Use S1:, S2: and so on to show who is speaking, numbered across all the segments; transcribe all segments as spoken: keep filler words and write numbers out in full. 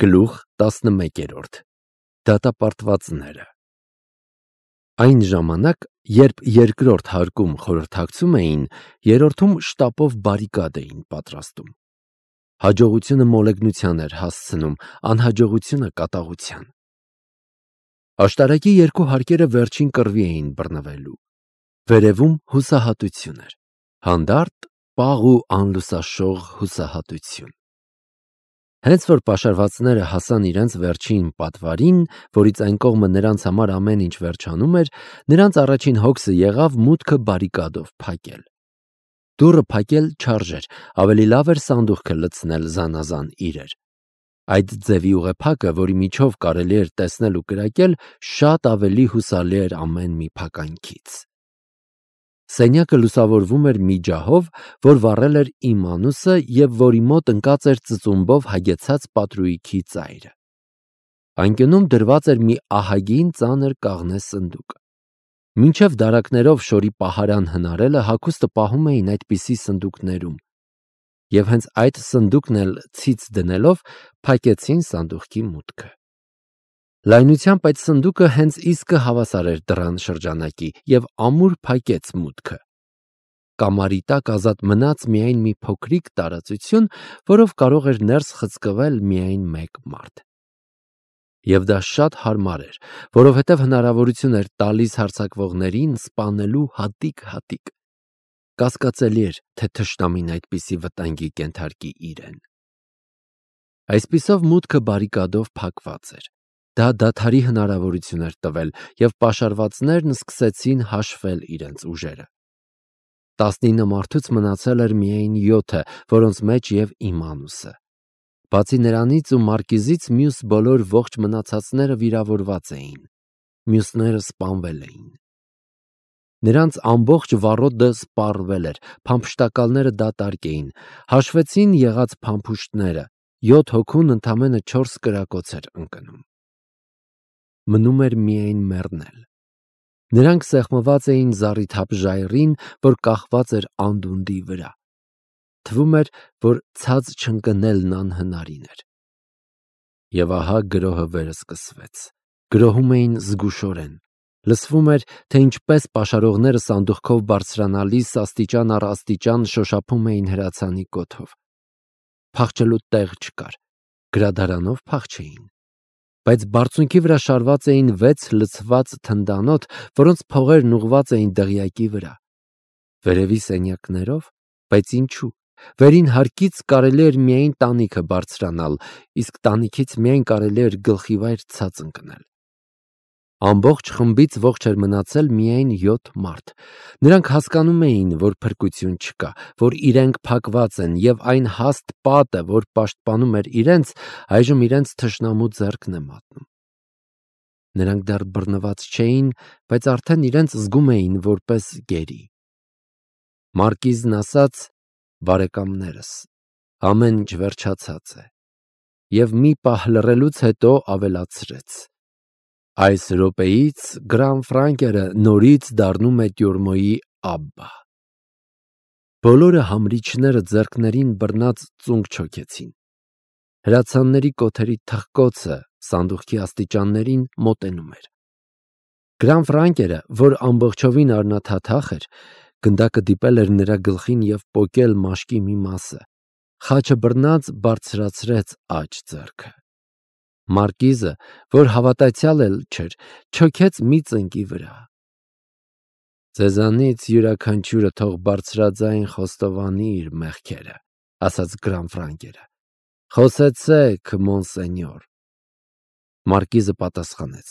S1: Գլուխ տասնմեկերորդ Դատապարտվածները Այն ժամանակ, երբ երկրորդ հարկում խորհրդակցում էին, երրորդում շտապով բարիկադ էին պատրաստում։ Հաջողությունը մոլեգնության էր հասցնում, անհաջողությունը կատաղության։ Աշտարակի երկու հարկերը վերջին կռվի էին բռնվելու։ Վերևում հուսահատություն էր, հանդարտ, պաղ ու անլուսաշող հուսահատություն։ Հենց որ պաշարվածները հասան իրենց վերջին պատվարին, որից այն կողմը նրանց համար ամեն ինչ վերջանում էր, նրանց առաջին հոգսը եղավ մուտքը բարիկադով փակել։ Դուռը փակել չարժեր, ավելի լավ էր սանդուղքը լցնել զանազան իրեր։ Այդ ձևի ուղեփակը, որի միջով կարելի էր տեսնել ու կրակել, շատ ավելի հուսալի էր ամեն մի փականքից։ Սենյակը լուսավորվում էր մի ջահով, որ վառել էր Իմանուսը և որի մոտ ընկած էր ծծումբով հագեցած պատրույգի ծայրը։ Անկյունում դրված էր մի ահագին ծանր կաղնե սնդուկ։ Մինչև դարակներով շորի պահարան հնարելը հագուստը պահում էին այդպիսի սնդուկներում, և հենց այդ սնդուկն էլ ցից դնելով փակեցին սանդուղքի մուտքը։ Լայնությամբ այդ սնդուկը հենց իսկը հավասար էր դռան շրջանակի և ամուր փակեց մուտքը։ Կամարի տակ ազատ մնաց միայն մի փոքրիկ տարածություն, որով կարող էր ներս խցկվել միայն մեկ մարդ։ Եվ դա շատ հարմար էր, որովհետև հնարավորություն էր տալիս հարձակվողներին սպանելու հատիկ-հատիկ։ Կասկածելի էր, թե թշնամին այդպիսի վտանգի կենթարկի իրեն։ Այսպիսով մուտքը բարիկադով փակված էր։ Դա դադարի հնարավորություն էր տվել, և պաշարվածներն սկսեցին հաշվել իրենց ուժերը։ Տասնինը մարդուց մնացել էր միայն յոթը, որոնց մեջ և Իմանուսը։ Բացի նրանից ու մարկիզից մյուս բոլոր ողջ մնացածները վիրավորված էին, մյուսները սպանվել էին։ Նրանց ամբողջ վառոդը սպառվել էր, փամփշտակալները դատարկ էին, հաշվեցին եղած փամփուշտները, յոթ հոգուն ընդամենը չորս կրակոց էր ընկնում։ Մնում էր միայն մեռնել։ Նրանք սեղմված էին զառիթափ ժայռին, որ կախված էր անդունդի վրա։ Թվում էր, որ ցած չընկնելն անհնարին էր։ Եվ ահա գրոհը վերսկսվեց։ Գրոհում էին զգուշորեն։ Լսվում էր, թե ինչպես պաշարողները սանդուղքով բարձրանալիս աստիճան առ աստիճան շոշափում էին հրացանի կոթով։ Փախչելու տեղ չկար, գրադարանով փախչեին։ Բայց բարձունքի վրա շարված էին վեց լցված թնդանոթ, որոնց փողերն ուղղված էին դղյակի վրա։ Վերևի սենյակներով, բայց ինչու՞։ Վերին հարկից կարելի էր միայն տանիքը բարձրանալ, իսկ տանիքից միայն կարելի էր գլխիվայր ցած ընկնել։ Ամբողջ խմբից ողջ էր մնացել միայն յոթ մարդ։ Նրանք հասկանում էին, որ փրկություն չկա, որ իրենք փակված են, և այն հաստ պատը, որ պաշտպանում էր իրենց, այժմ իրենց թշնամու ձեռքն է մատնում։ Նրանք դեռ բռնված չէին, բայց արդեն իրենց զգում էին որպես գերի։ Մարկիզն ասաց. «Բարեկամներս, ամեն ինչ վերջացած է», և մի պահ լռելուց հետո ավելացրեց. «Այս րոպեից Գրանֆրանկերը նորից դառնում է տյուրմոյի աբբա»։ Բոլորը համրիչները ձեռքներին բռնած ծունկ չոքեցին։ Հրացանների կոթերի թխկոցը սանդուղքի աստիճաններին մոտենում էր։ Գրանֆրանկերը, որ ամբողջովին առնաթաթախ էր, գնդակը դիպել էր նրա գլխին և պոկել մաշկի մի մասը, խաչը բռնած բարձրացրեց աջ ձեռքը։ Մարկիզը, որ հավատացյալ էլ չէր, չոքեց մի ծնկի վրա։ «Ձեզանից յուրաքանչյուրը թող բարձրաձայն խոստովանի իր մեղքերը», ասաց Գրանֆրանկերը։ «Խոսեցեք, մոնսենյոր»։ Մարկիզը պատասխանեց.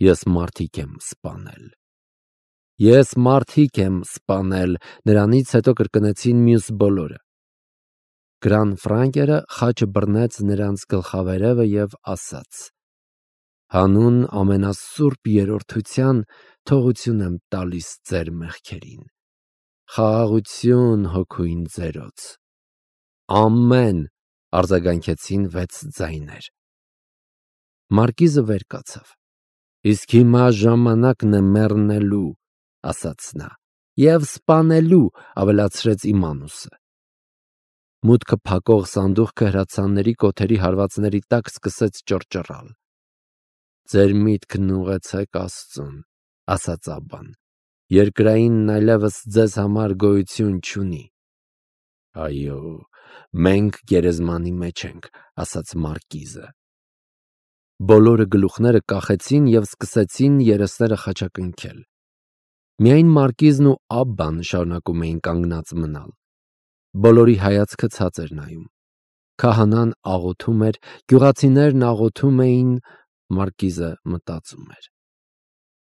S1: «Ես մարդիկ եմ սպանել»։ «Ես մարդիկ եմ սպանել», նրանից հետո կրկնեցին մյուս բոլորը։ Գրանֆրանկերը խաչը բռնեց նրանց գլխավերևը և ասաց. «Հանուն ամենասուրբ երրորդության թողություն եմ տալիս ձեր մեղքերին։ Խաղաղություն հոգույն ձերոց»։ «Ամեն», արձագանքեցին վեց ձայներ։ Մարկիզը վեր կացավ։ «Իսկ հիմա ժամանակն է մեռնելու», ասաց նա, «և սպանելու», ավելացրեց Իմանուսը։ Մուտքը փակող սանդուղքը հրացանների կոթերի հարվածների տակ սկսեց ճռճռալ։ «Ձեր միտքն ուղղեցեք Աստծուն», ասաց Աբբան։ «Երկրայինն այլևս ձեզ համար գոյություն չունի»։ «Այո, մենք գերեզմանի մեջ ենք», ասաց Մարկիզը։ Բոլորը գլուխները կախեցին և սկսեցին երեսները խաչակնքել։ Միայն Մարկիզն ու Աբբան շարունակում էին կանգնած մնալ։ Բոլորի հայացքը ցած էր նայում։ Քահանան աղոթում էր, գյուղացիներն աղոթում էին, Մարկիզը մտածում էր։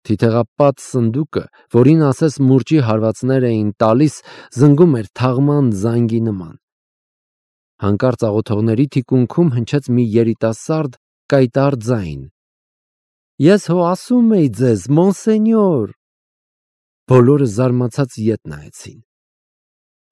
S1: Թիթեղապատ սնդուկը, որին ասես մուրճի հարվածներ էին տալիս, զնգում էր թաղման զանգի նման։ Հանկարծ աղոթողների թիկունքում հնչեց մի երիտասարդ կայտառ ձայն. «Ես հո ասում էի ձեզ, մոնսենյոր»։ Բոլորը զարմացած ետ նայեցին։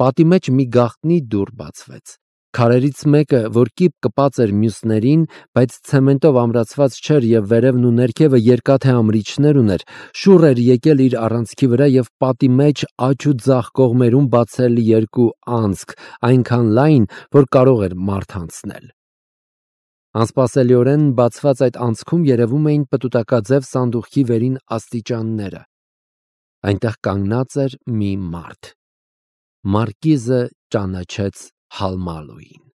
S1: Պատի մեջ մի գաղտնի դուռ բացվեց։ Քարերից մեկը, որ կիպ կպած էր մյուսներին, բայց ցեմենտով ամրացված չէր և վերևն ու ներքևը երկաթե ամրիչներ ուներ, շուռ էր եկել իր առանցքի վրա և պատի մեջ աջ ու ձախ կողմերում բացել երկու անցք, այնքան լայն, որ կարող էր մարդ անցնել։ Անսպասելիորեն բացված այդ անցքում երևում էին պտուտակաձև սանդուղքի վերին աստիճանները։ Այնտեղ կանգնած էր մի մարդ։ Մարկիզը ճանաչեց Հալմալուին։